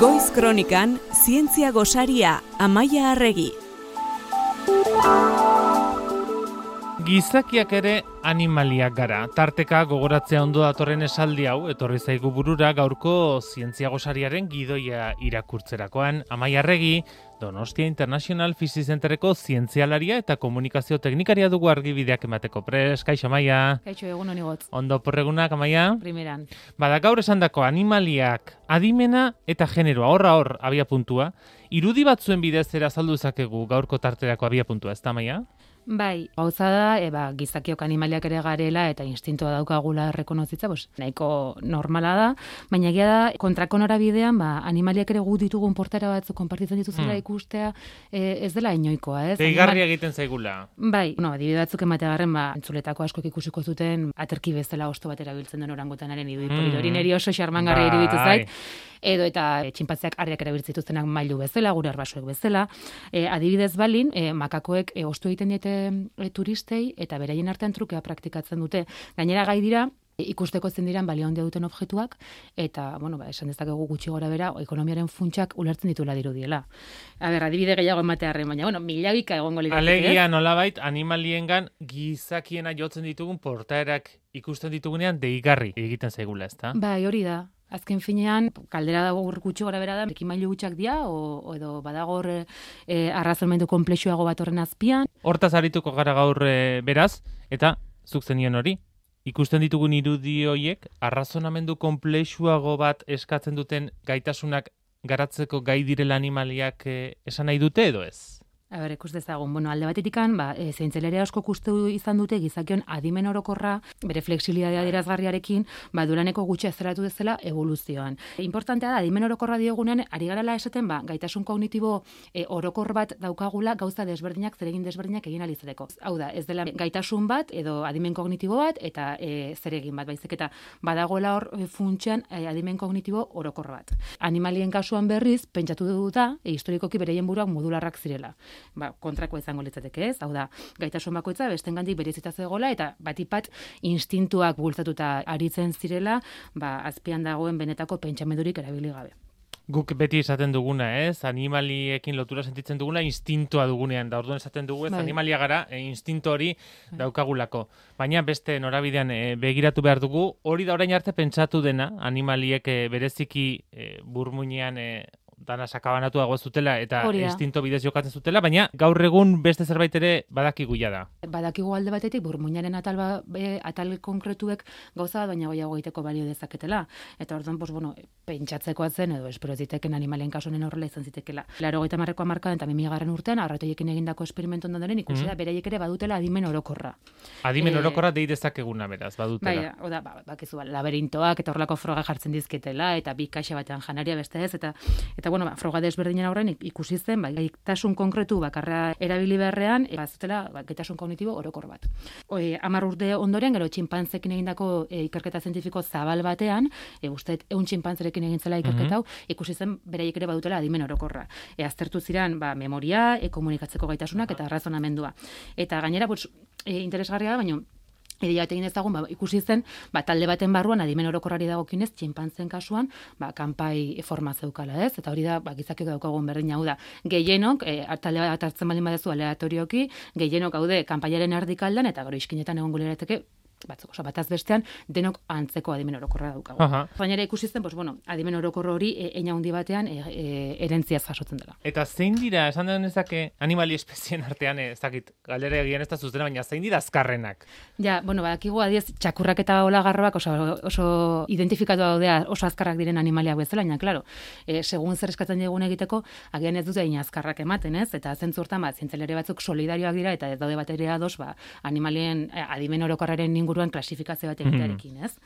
Goiz Kronikan, zientzia gosaria, Amaia Arregi. Gizakiak ere animaliak gara. Tarteka gogoratzea ondo datorren esaldi hau, etorri zaigu burura gaurko zientzia gosariaren gidoia irakurtzerakoan. Amaia Arregi, Donostia International Physics Centerreko zientzialaria eta komunikazio teknikaria dugu argibideak emateko prest. Kaixo, Amaia. Kaixo, egun honi gotz. Ondo porregunak, Amaia. Primeran. Bada, gaur esandako animaliak adimena eta generoa, hor abia puntua. Irudi batzuen bidez azaldu zakegu gaurko tarterako abia puntua, ez da, Amaia? Bai, gauza da, gizakiok animaliak ere garela eta instintoa daukagula errekonozitza, nahiko normala da, baina egia da, kontrako norabidean, animaliak ere gu ditugun portaera batzuk konpartitzen dituzela ikustea, ez dela inoikoa, ez? Deigarria egiten zaigula. Bai, adibide batzuk emategarren, entzuletako askoek ikusiko zuten, aterki bezala osto bat erabiltzen den orangutanaren idui hori niri oso xarmangarria iruditu zait. Edo eta txinpantzeak harriak erabiltzen dituztenak mailu bezala, gure arbasuek bezala. Adibidez balin, makakoek ostu egiten diete turistei eta beraien artean trukea praktikatzen dute. Gainera gai dira, ikusteko zen diran balio handia duten objektuak, eta, esan dezakegu gutxi gora bera, ekonomiaren funtsak ulertzen dituela dirudiela. Adibide gehiago ematearren, baina, milabika egongo lirateke. Alegia nolabait, animaliengan gizakiena jotzen ditugun portaerak ikusten ditugunean deigarri egiten zaigula, ezta? Bai, hori da. Azken finean, kaldera dago gutxi gora bera da, ekin mailu gutxak dira, edo badagor arrazonamendu konplexuago bat horren azpian. Hortaz arituko gara gaur beraz, eta zuk zenion hori. Ikusten ditugun irudi horiek, arrazonamendu konplexuago bat eskatzen duten gaitasunak garatzeko gai direla animaliak esan nahi dute edo ez? Ikus dezagun, alde batetikan, zientzialaria asko kustu izan dute gizakion adimen orokorra, bere flexibilitatea adierazgarriarekin, duraneko gutxi azeratu dezela evoluzioan. Importantea da, adimen orokorra diogunean, ari garela esaten, gaitasun kognitibo orokor bat daukagula gauza desberdinak, zeregin desberdinak egin alizateko. Hau da, ez dela gaitasun bat, edo adimen kognitibo bat, eta zeregin bat, baizik eta badagoela hor funtsean adimen kognitibo orokor bat. Animalien kasuan berriz, pentsatu duta, historikoki bereien buruak modularrak zirela. Kontrakoa izango litzateke, ez? Hau da, gaitasun bakoitza bestengandik berezita zegoela eta batipat instintuak bultzatuta aritzen zirela, azpian dagoen benetako pentsamendurik erabili gabe. Guk beti esaten duguna, ez? Animaliekin lotura sentitzen duguna instintoa dugunean. Da orduan esaten dugu, ez? Animalia gara, instinto hori daukagulako. Baina beste norabidean begiratu behar dugu, hori da orain arte pentsatu dena, animaliek bereziki burmuinean dana sakabanatuago zutela eta instinto bidez jokatzen zutela, baina gaur egun beste zerbait ere badakigu ja da. Badakigu alde batetik burmuinaren atal konkretuek gauza bat baina goiago egiteko balio dezaketela. Eta orduan, pentsatzekoa zen edo espero ziteken animalien kasunen horrela izan zitekela. 80ko hamarkadan eta 2000. Urtean arratoiekin egindako esperimentu ondoren ikusi da beraiek ere badutela adimen orokorra. Adimen orokorra dei dezakeguna beraz, badutela. Bai, bakizu laberintoak eta horrelako froga jartzen dizketela eta bi kaxa batean janaria beste ez eta froga desberdinen aurren ikusi zen, gaitasun konkretu bakarra erabili beharrean, bazutela gaitasun kognitibo orokor bat. 10 urte ondoren, gero txinpantzekin egindako ikerketa zientifiko zabal batean, uste 100 txinpantzerekin egin zela ikerketa hau, ikusi zen beraiek ere badutela adimen orokorra. Aztertu ziren memoria, komunikatzeko gaitasunak eta arrazonamendua. Eta gainera, interesgarria da, baina Edia egin ezagun, ikusi zen, talde baten barruan adimen orokorrari dagokinez, txinpantzen kasuan, kanpai forma zeukala, ez? Eta hori da, gizakiok daukagun berdin hau da. Gehienok, talde bat hartzen baldin badezu aleatorioki, gehienok haude kanpaiaren erdikaldan, eta gero iskinetan egon gulerateke, bataz bestean, denok antzeko adimen orokorra daukagu. Baina ikusi zen, adimen orokor hori eina handi batean erentziaz jasotzen dela. Eta zein dira, esan den ezake, animali espezien artean, ezakit, galdera egian ez da zuzena, baina zein dira azkarrenak? Ja, badakigu adiez, txakurrak eta olagarroak oso identifikatu daudea oso azkarrak diren animaliak bezala, baina, klaro, segun zer eskatzen digun egiteko, agian ez dute azkarrak ematen, ez? Eta zentzu hortan, zientzialari batzuk solidarioak dira, eta ez daude bat ere ados, animalien adimen orokorraren inguruan klasifikazio bat egitearekin, ez?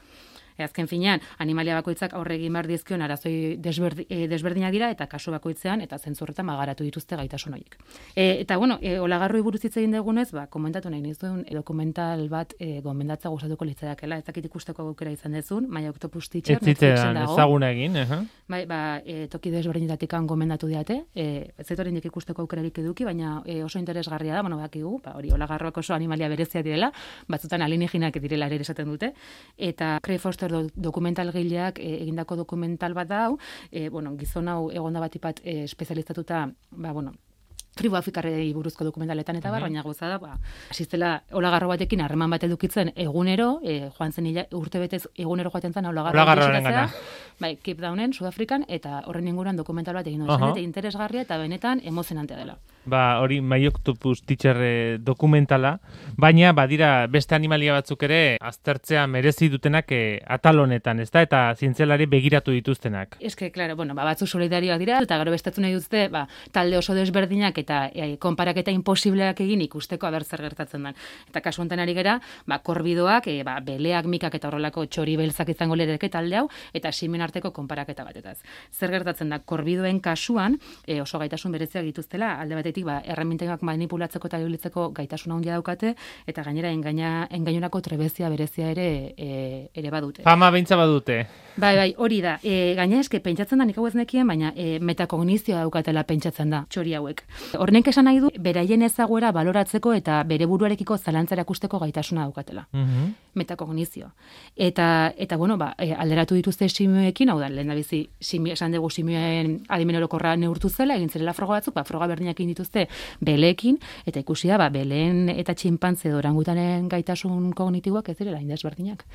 Azken finean, animalia bakoitzak aurre egin behar dizkion arazoi desberdinak dira eta kasu bakoitzean eta zentzu horretan garatu dituzte gaitasun horiek. Eta olagarroi buruz hitz egin dugunez, komentatu nahi nizuen dokumental bat gomendatza gustatuko litzaidakeela, ez dakit ikusteko aukera izan dezun, My Octopus Teacher Netflixen dago. Ezaguna egin, Bai, toki desberdinetatik gomendatu diate, ez dut oraindik ikusteko aukerarik eduki, baina oso interesgarria da, bakigu, hori olagarroak oso animalia berezia direla, batzutan alienígenak direla ere esaten dute, eta Craig Foster edo dokumentalgileak egindako dokumental bat da hau, gizon hau egonda batipat espezializatuta, tribu afrikarrei buruzko dokumentaletan eta baina gauza da, asistela olagarro batekin harreman bat edukitzen egunero, joan zen urte betez egunero joaten zen olagarroaren gana. Cape Townen, Sudafrikan, eta horren inguruan dokumental bat egin duen, eta interesgarria eta benetan emozionantea dela. Hori My Octopus Teacher dokumentala, baina badira beste animalia batzuk ere aztertzea merezi dutenak atal honetan, ezta? Eta zientzialari begiratu dituztenak. Eske, claro, batzuk solidarioak dira, eta gero bestetu nahi duzte, talde oso desberdinak eta konparaketa imposibleak egin ikusteko aber zer gertatzen den. Eta kasu honetan ari gera, korbidoak, beleak, mikak eta horrelako txori beltzak izango lereke talde hau, eta simen arteko konparaketa batetaz. Zer gertatzen da, korbidoen kasuan, oso gaitasun bereziak dituztela, alde batetik, erreminteak manipulatzeko eta ibilitzeko gaitasuna handia daukate, eta gainera engainurako trebezia berezia ere badute. Fama beintza badute. Bai, hori da. Gaina eske pentsatzen da nik hau ez nekien, baina metakognizioa daukatela pentsatzen da txori hauek. Horrenek esan nahi du, beraien ezaguera baloratzeko eta bere buruarekiko zalantzara ikusteko gaitasuna daukatela. Metakognizio. Eta alderatu dituzte simioekin, hau da, lehen da bizi, esan dugu simioen adimen orokorra neurtu zela, egin zirela froga batzuk, froga berdinak egin dituzte beleekin, eta ikusi da, beleen eta txinpantze orangutanen gaitasun kognitiboak ez direla indesberdinak.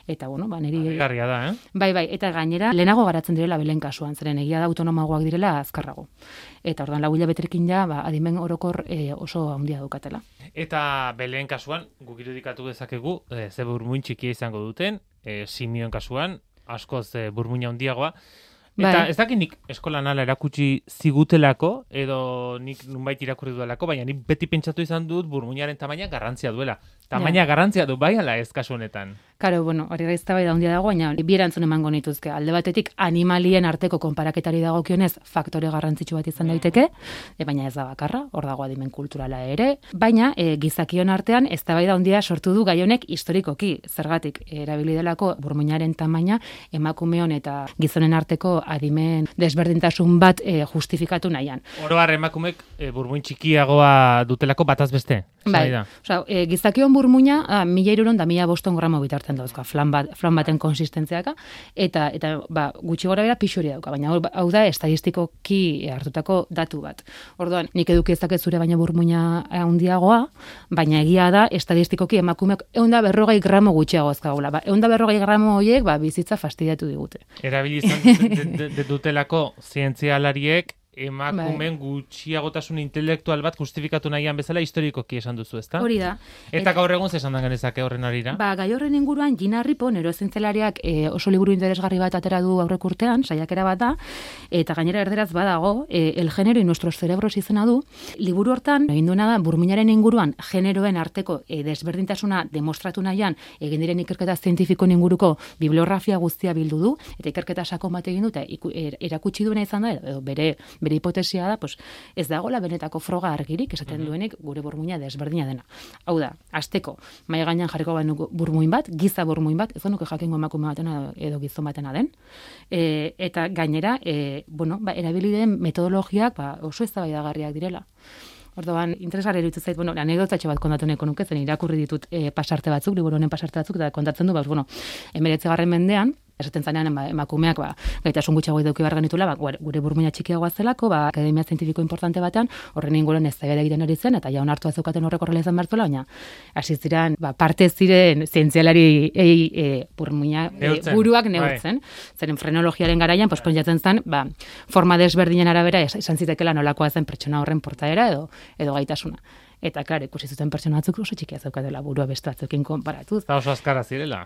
Eta, niri... Garria da, Bai, eta gainera, lehenago garatzen direla beleen kasuan, zeren egia da autonomagoak direla azkarrago. Eta ordan 4 hilabeterekin adimen orokor oso handia daukatela. Eta beleen kasuan, guk irudikatu dezakegu, ze burmuin txikia izango duten, simioen kasuan, askoz burmuina handiagoa. Eta ez dakit nik eskolan ala erakutsi zigutelako, edo nik nunbait irakurri duelako, baina nik beti pentsatu izan dut burmuinaren tamaina garrantzia duela. Tamaina garrantzia du bai ala ez kasu honetan. Karo, hori gaiztabai da handia dago, baina bi erantzun emango nituzke. Alde batetik animalien arteko konparaketari dagokionez faktore garrantzitsu bat izan daiteke, baina ez da bakarra, hor dago adimen kulturala ere, baina gizakion artean eztabaida handia sortu du gai honek historikoki, zergatik erabili delako burmuinaren tamaina emakumeon eta gizonen arteko adimen desberdintasun bat justifikatu nahian. Oro har emakumek burmuin txikiagoa dutelako bataz beste. Bai, gizakion burmuina 1.300 eta 1.500 gramo bitartzen dauzka, flan baten konsistentziaka, eta gutxi gora bera pixuri dauka, baina hau da estadistikoki hartutako datu bat. Orduan, nik eduki ezaket zure baina burmuina handiagoa, baina egia da estadistikoki emakumeak 140 gramo gutxiago ezkagula. 140 gramo horiek bizitza fastidiatu digute. Erabili izan dutelako zientzialariek emakumen gutxiagotasun intelektual bat justifikatu nahian bezala historikoki esan duzu, ezta? Hori da. Eta gaur egun zesan dan genezake horren arira? Gai horren inguruan Gina Ripo, neurozientzialariak oso liburu interesgarri bat atera du aurrek urtean, saiakera bat da, eta gainera erderaz badago, El género y nuestros cerebros izena du. Liburu hortan, egin duena da, burmuinaren inguruan generoen arteko desberdintasuna demostratu nahian, egin diren ikerketa zientifikoen inguruko bibliografia guztia bildu du, eta ikerketa sakon bat egin du, eta erakutsi duena izan da, edo bere hipotesia da, ez dagoela benetako froga argirik, esaten duenik gure burmuina desberdina dena. Hau da, asteko, mahai gainean jarriko burmuin bat, giza burmuin bat, ez nuke jakingo emakume batena edo gizon batena den. Eta gainera, erabili den metodologiak oso eztabaidagarriak direla. Orduan, interesgarri iruditzen zait, anekdotatxo bat kontatu nahiko nuke, zen irakurri ditut pasarte batzuk, liburu honen pasarte batzuk, eta kontatzen du, 19. mendean, esaten zanean emakumeak gaitasun gutxiago eduki behar genitula, gure burmuina txikiagoa zelako, akademia zientifiko importante batean, horren inguruan eztabaida egiten ari zen, eta jaun hartu azeukaten horrek horrela izan bertuela, baina hasi ziren parte ziren zientzialari burmuina buruak neurtzen. Zeren frenologiaren garaian, pentsatzen zen, forma desberdinen arabera esan zitekela nolakoa zen pertsona horren portaera edo gaitasuna. Eta, klar, ikusi zuten pertsona batzuk oso txikia zeukatela burua beste batzuekin konparatuz. Eta oso azkara zirela.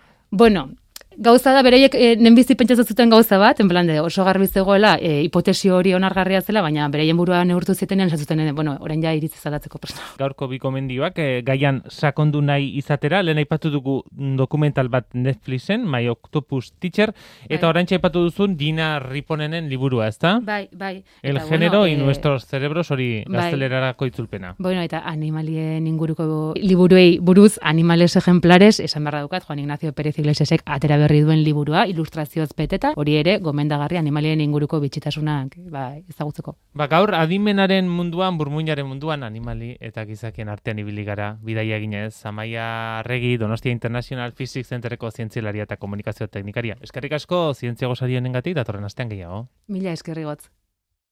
Gauza da, bereiek nenbizi pentsatzen zuten gauza bat, en plan de oso garbi zegoela, hipotesi hori onargarria zela, baina bereien burua neurtu zitenean, esan zuten, orain ja iritzi zalatzeko persona. Gaurko bi komendioak, gaian sakondu nahi izatera, lehen aipatu dugu dokumental bat Netflixen, My Octopus Teacher, eta orain aipatu duzun Gina Riponenen liburua, ezta? Bai. El género y nuestros cerebros hori gaztelerarako itzulpena. Eta animalien inguruko liburuei buruz, animales ejemplares, esan behar daukat, Juan Ignacio Pérez Iglesiasek atera berri duen liburua, ilustrazioz beteta, hori ere gomendagarri animalien inguruko bitxitasunak ezagutzeko. Gaur adimenaren munduan, burmuinaren munduan, animali eta gizakien artean ibili gara, bidaia eginez, Amaia Arregi, Donostia International Physics Centereko zientzialaria eta komunikazio teknikaria. Eskerrik asko zientzia gosari honengatik datorren astean gehiago. Mila eskerri gotz.